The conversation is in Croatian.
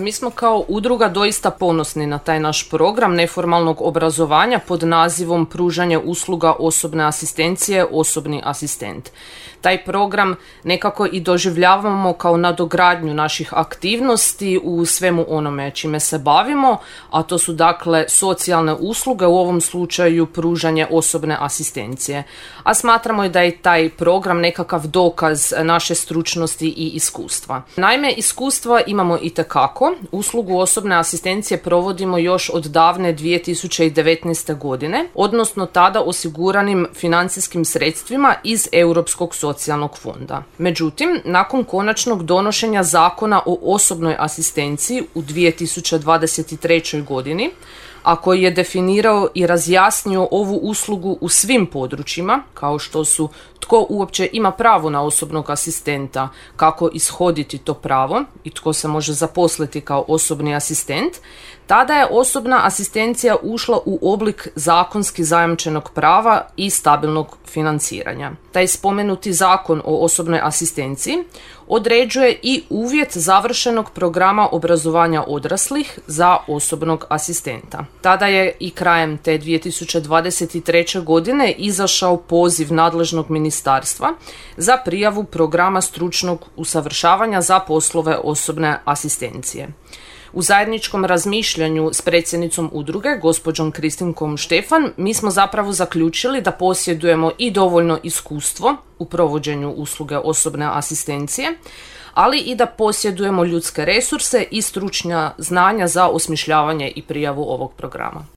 Mi smo kao udruga doista ponosni na taj naš program neformalnog obrazovanja pod nazivom Pružanje usluga osobne asistencije, osobni asistent. Taj program nekako i doživljavamo kao nadogradnju naših aktivnosti u svemu onome čime se bavimo, a to su dakle socijalne usluge, u ovom slučaju pružanje osobne asistencije. A smatramo i da je taj program nekakav dokaz naše stručnosti i iskustva. Naime, iskustva imamo itekako. Uslugu osobne asistencije provodimo još od davne 2019. godine, odnosno tada osiguranim financijskim sredstvima iz Europskog socijalnog fonda. Međutim, nakon konačnog donošenja Zakona o osobnoj asistenciji u 2023. godini, a koji je definirao i razjasnio ovu uslugu u svim područjima, kao što su tko uopće ima pravo na osobnog asistenta, kako ishoditi to pravo i tko se može zaposliti kao osobni asistent, tada je osobna asistencija ušla u oblik zakonski zajamčenog prava i stabilnog financiranja. Taj spomenuti Zakon o osobnoj asistenciji određuje i uvjet završenog programa obrazovanja odraslih za osobnog asistenta. Tada je i krajem te 2023. godine izašao poziv nadležnog ministarstva za prijavu programa stručnog usavršavanja za poslove osobne asistencije. U zajedničkom razmišljanju s predsjednicom udruge, gospođom Kristinkom Štefan, mi smo zapravo zaključili da posjedujemo i dovoljno iskustvo u provođenju usluge osobne asistencije, ali i da posjedujemo ljudske resurse i stručna znanja za osmišljavanje i prijavu ovog programa.